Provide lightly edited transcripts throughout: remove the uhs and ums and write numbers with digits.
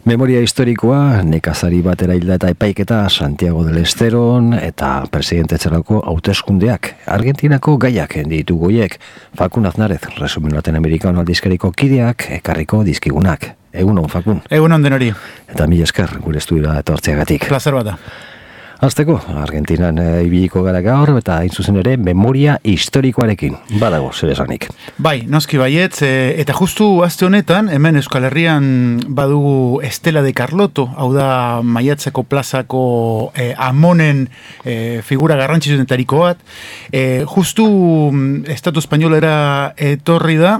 Memoria historikoa, nekazari batera hilda eta epaiketa Santiago del Esteron eta presidentetzarako hauteskundeak. Argentinako gaiak ditu goiek. Fakun Aznarez, Resumen Latinoamerikano aldizkariko kideak, ekarriko dizkigunak. Egunon, Fakun. Egunon denori. Eta mila esker, gure estudiora etortzeagatik. Plazer bat da. Azteko, Argentinan ibiliko gara gaur, eta hain zuzen ere, memoria historikoarekin. Badago, zer esanik. Bai, noski baietz, eta justu aste honetan, hemen Euskal Herrian badugu Estela de Carlotto, hau da Maiatzeko plazako amonen figura garrantzitsuenetariko bat. Justu Estatu Espainolera etorri da,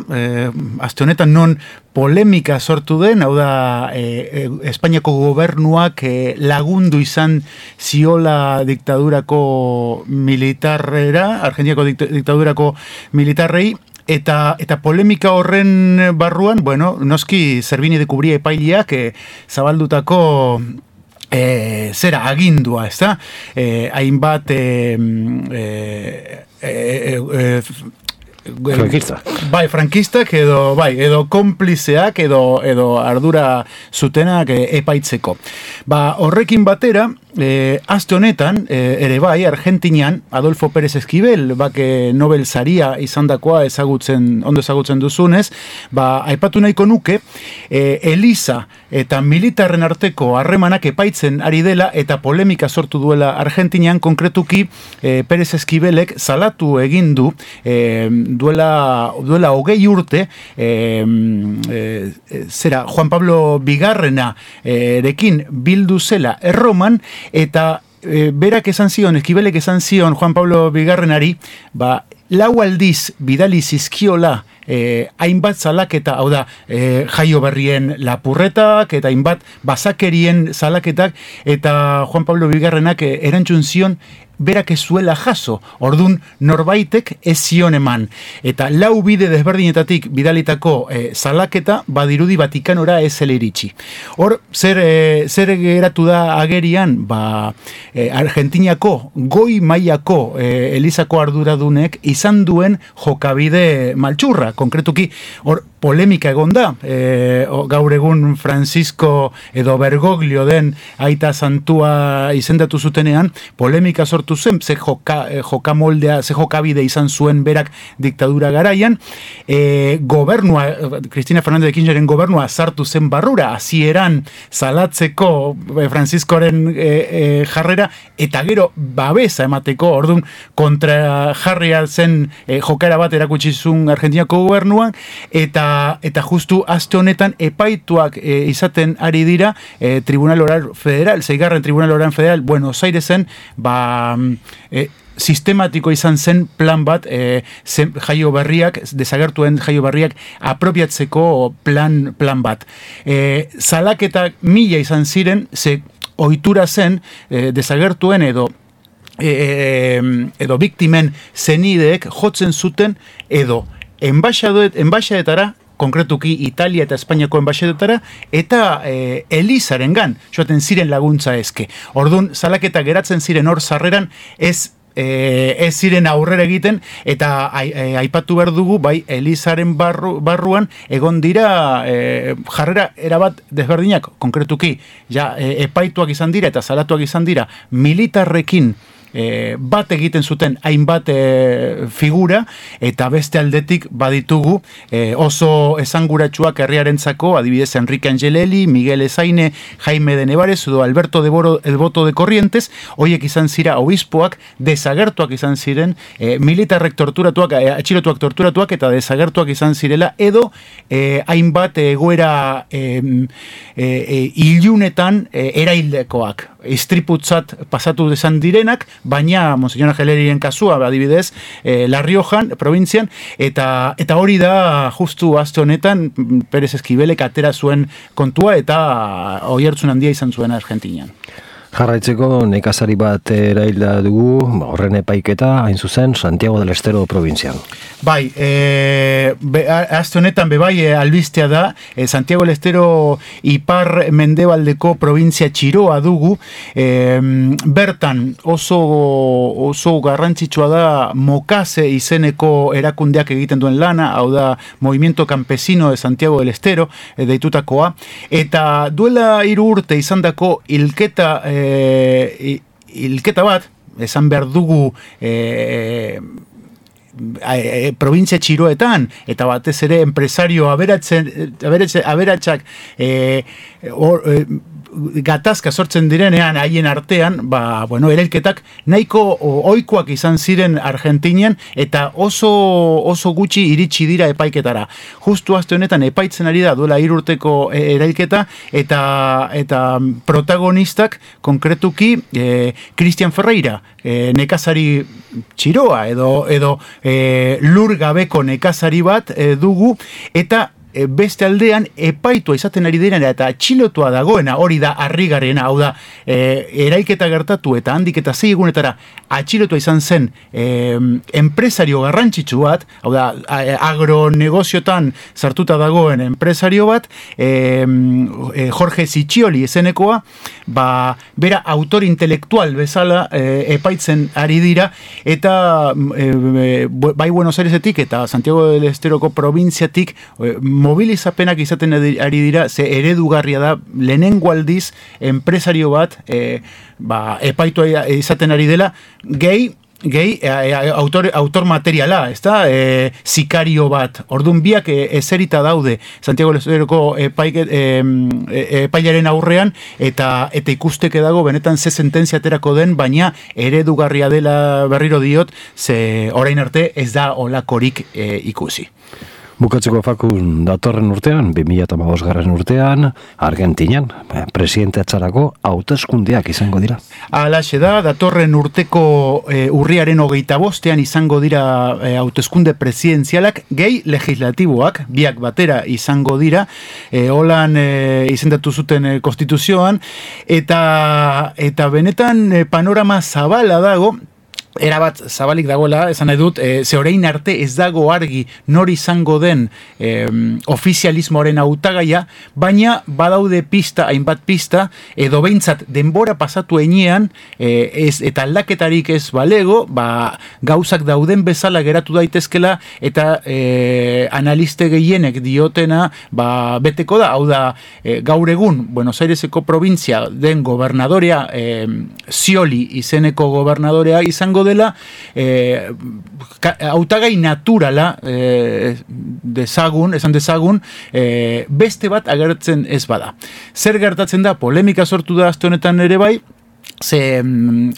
aste honetan non polemika sortu den, hau da Espainiako gobernuak lagundu izan ziola diktadurako militarrera, Argentinako diktadurako militarrei, eta polemika horren barruan, bueno, noski Zerbini de Cubría epaileak zabaldutako zera agindua, ez da? Hainbat Frankista. Bai, frankistak edo konplizeak edo ardura zutenak epaitzeko. Horrekin batera, aste honetan, ere bai, Argentinan, Adolfo Pérez Esquivel, Nobel saria izandakoa ondo ezagutzen duzunez, aipatu nahiko nuke, Eliza eta militarren arteko harremanak epaitzen ari dela eta polemika sortu duela Argentinan, konkretuki Pérez Esquivelek salatu egin du duela 20 urte Juan Pablo Bigarrena erekin bildu zela Erroman, eta berak esan zion, Esquibelek esan zion Juan Pablo Bigarrenari, 4 aldiz bidali zizkiola hainbat salaketa, hau da, Jaio Berrien lapurretak eta hainbat basakerien salaketak, eta Juan Pablo Bigarrenak erantzun zion berak ez zuela jaso, ordun norbaitek ez zion eman. Eta 4 bide desberdinetatik bidalitako salaketa badirudi Vatikanora ez zela iritsi. Hor, zer geratu da agerian, Argentinako goi mailako Elizako arduradunek izan duen jokabide maltsurra. Konkretuki, hor, polemika egon da, gaur egun Francisco edo Bergoglio den aita santua izendatu zutenean, polemika sortu zen, ze jokamoldea, ze jokabide izan zuen berak diktadura garaian, gobernua, Cristina Fernández de Kirchnerren gobernua sartu zen barrura, hasieran salatzeko Franciscoren jarrera, eta gero babesa emateko, orduan kontra jarria zen jokara bat erakutsi zuen Argentinako gobernuan, eta justu aste honetan epaituak izaten ari dira Tribunal Oral Federal, 6. Tribunal Oral Federal Buenos Airesen, sistematiko izan zen plan bat Jaio Berriak, desagertuen Jaio Berriak apropiatzeko plan bat. Salaketak 1000 izan ziren, ze ohitura zen desagertuen edo biktimen zenideek jotzen zuten edo enbaixadetara, konkretuki Italia eta Espainiako enbaixadetara, eta Elizarengan joaten ziren laguntza eske. Orduan, salaketak geratzen ziren hor sarreran, ez ziren aurrera egiten, eta aipatu behar dugu, Elizaren barruan egon dira jarrera erabat desberdinak, konkretuki epaituak izan dira eta salatuak izan dira militarrekin bat egiten zuten hainbat figura, eta beste aldetik baditugu oso esanguratsuak herriarentzako, adibidez Enrique Angelelli, Miguel Ezaine, Jaime de Nevares edo Alberto de Boro, el Voto de Corrientes, hoiek izan zira obispoak, desagertuak izan ziren, militarrek torturatuak, atxilotuak torturatuak eta desagertuak izan zirela, edo hainbat egoera ilunetan eraildekoak, istriputzat pasatu desan direnak, baina Monseñor Angelerien kasua, adibidez, La Riojan, provintzian, eta hori da justu aste honetan Pérez Esquibelek atera zuen kontua eta oihartzun handia izan zuen Argentinan. Jarraitzeko nekazari bat erailda dugu, horren epaiketa, hain zuzen, Santiago del Estero provincian. Bai, azte honetan bebai albistea da, Santiago del Estero ipar mendebaldeko provintzia txiroa dugu, bertan oso garrantzitsua da Mokase izeneko erakundeak egiten duen lana, hau da Movimiento Campesino de Santiago del Estero, deitutakoa, eta duela 3 urte izandako hilketa bat, esan behar dugu provintzia txiroetan, eta batez ere empresario aberatsak gatazka sortzen direnean haien artean, erailketak nahiko ohikoak izan ziren Argentinian eta oso gutxi iritsi dira epaiketara. Justu aste honetan epaitzen ari da duela 3 urteko erailketa eta protagonistak konkretuki Cristian Ferreira, nekazari txiroa edo lur gabeko nekazari bat dugu, eta beste aldean epaitua izaten ari direna eta atxilotua dagoena, hori da harrigarriena, hau da erailketa gertatu eta handik eta 6 egunetara atxilotua izan zen enpresario garrantzitsu bat, hau da agronegoziotan sartuta dagoen enpresario bat, Jorge Siccioli izenekoa, bera autor intelektual bezala epaitzen ari dira, eta bai Buenos Airesetik eta Santiago del Esteroko provintziatik mobilizapenak izaten ari dira, ze eredugarria da lehenengo aldiz enpresario bat epaitua izaten ari dela, gehi autor materiala, sikario bat. Orduan biak ezerita daude Santiago del Esteroko epailaren aurrean, eta ikusteke dago benetan ze sententzia aterako den, baina eredugarria dela berriro diot, ze orain arte ez da olakorik ikusi. Bukatzeko Fakun, datorren urtean, 2015 urtean, Argentinian, presidenteatzarako hauteskundeak izango dira. Halaxe da, datorren urteko urriaren 25 izango dira hauteskunde presidenzialak, gehi legislatiboak, biak batera izango dira, holan izendatu zuten konstituzioan, eta benetan panorama zabala dago, erabat zabalik dagoela, esan nahi dut, ze orain arte ez dago argi nori izango den ofizialismoaren hautagaia, baina badaude hainbat pista, edo behintzat denbora pasatu enean, eta aldaketarik ez balego, gauzak dauden bezala geratu daitezkela, eta analiste gehienek diotena beteko da, hau da, gaur egun Buenos Aireseko provintzia den gobernadorea, Scioli izeneko gobernadorea izango dela, hautagai naturala esan dezagun, beste bat agertzen ez bada. Zer gertatzen da, polemika sortu da aste honetan ere bai, ze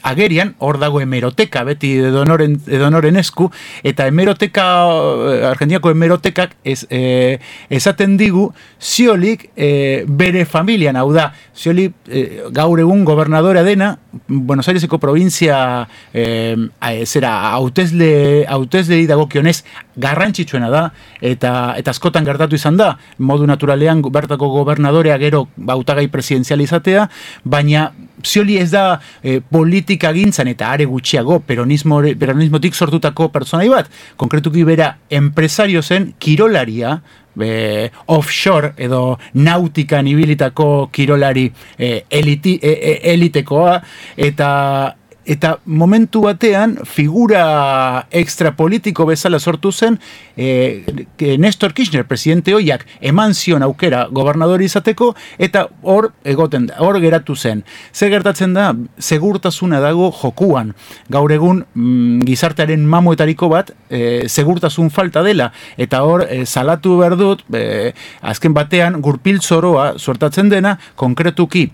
agerian, hor dago hemeroteka, beti edonoren esku, eta Argentinako hemerotekak esaten digu, Sciolik bere familian, hau da, Scioli gaur egun gobernadorea dena, Buenos Aireseko provintzia hautesle dagokionez garrantzitsuena da, eta askotan gertatu izan da, modu naturalean bertako gobernadorea gero hautagai presidenzial izatea, baina Scioli ez da politika gintzan eta are gutxiago peronismotik sortutako pertsonai bat, konkretuki bera empresario zen, kirolaria, offshore edo nautikan ibilitako kirolari elitekoa, eta momentu batean figura extrapolitiko bezala sortu zen, Néstor Kirchner, presidente hoiak, eman zion aukera gobernadori izateko, eta hor geratu zen. Zer gertatzen da, segurtasuna dago jokuan. Gaur egun gizartearen mamuetariko bat, segurtasun falta dela, eta hor salatu behar dut, azken batean gurpil zoroa suertatzen dena, konkretuki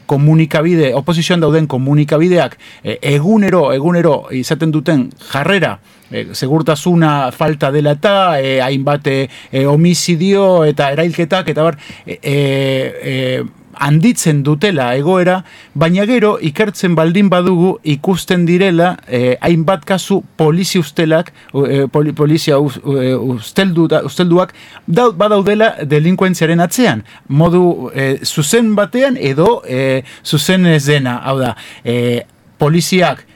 komunikabide, oposizioan dauden komunikabideak egunero izaten duten jarrera, segurtasuna falta dela eta hainbat homizidio eta erailketak eta handitzen dutela egoera, baina gero ikertzen baldin badugu ikusten direla hainbat kasu polizia ustelak, polizia ustelduak badaudela delinkuentziaren atzean, modu zuzen batean edo zuzen ez dena, hau da, poliziak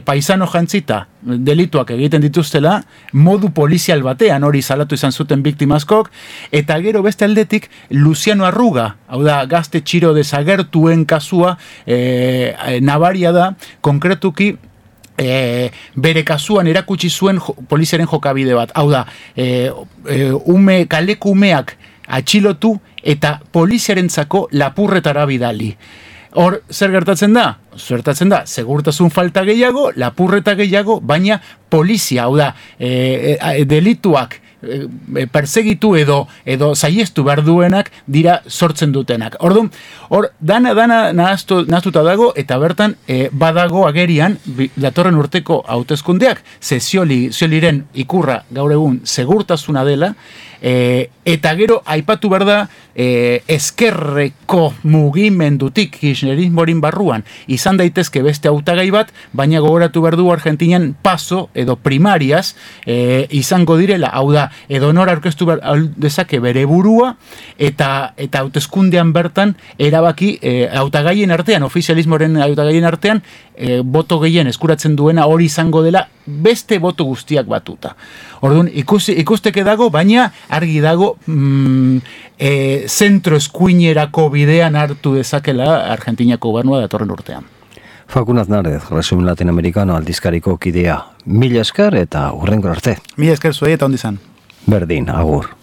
paisano jantzita delituak egiten dituztela, modu polizial batean hori salatu izan zuten biktimazkok, eta gero beste aldetik Luciano Arruga, hau da, gazte txiro desagertuen kasua nabaria da, konkretuki bere kasuan erakutsi zuen poliziaren jokabide bat, hau da, kaleku umeak atxilotu eta poliziarentzako lapurretara bidali. Hor, zer gertatzen da? Gertatzen da, segurtasun falta gehiago, lapurreta gehiago, baina polizia, hau da, delituak persegitu edo saiestu behar duenak dira sortzen dutenak. Orduan, hor, dana nahaztuta dago, eta bertan badago agerian datorren urteko hauteskundeak, Scioliren ikurra gaur egun segurtasuna dela, eta gero aipatu behar da ezkerreko mugimendutik kirchnerismorin barruan izan daitezke beste hautagai bat, baina gogoratu behar du Argentinian paso edo primarias izango direla, hau da, edo nor aurkeztu dezake bere burua eta hauteskundean bertan erabaki hautagaien artean, ofizialismoren hautagaien artean boto gehien eskuratzen duena hori izango dela beste boto guztiak batuta. Orduan, ikusteke dago, baina argi dago zentro eskuinerako bidean hartu dezakela Argentiniako gobernua datorren urtean. Fakun Aznarez, Resumen Latinoamericano aldizkariko kidea. Mila esker eta hurrengo arte. Mila esker zuei eta ondi izan. Berdin, agur.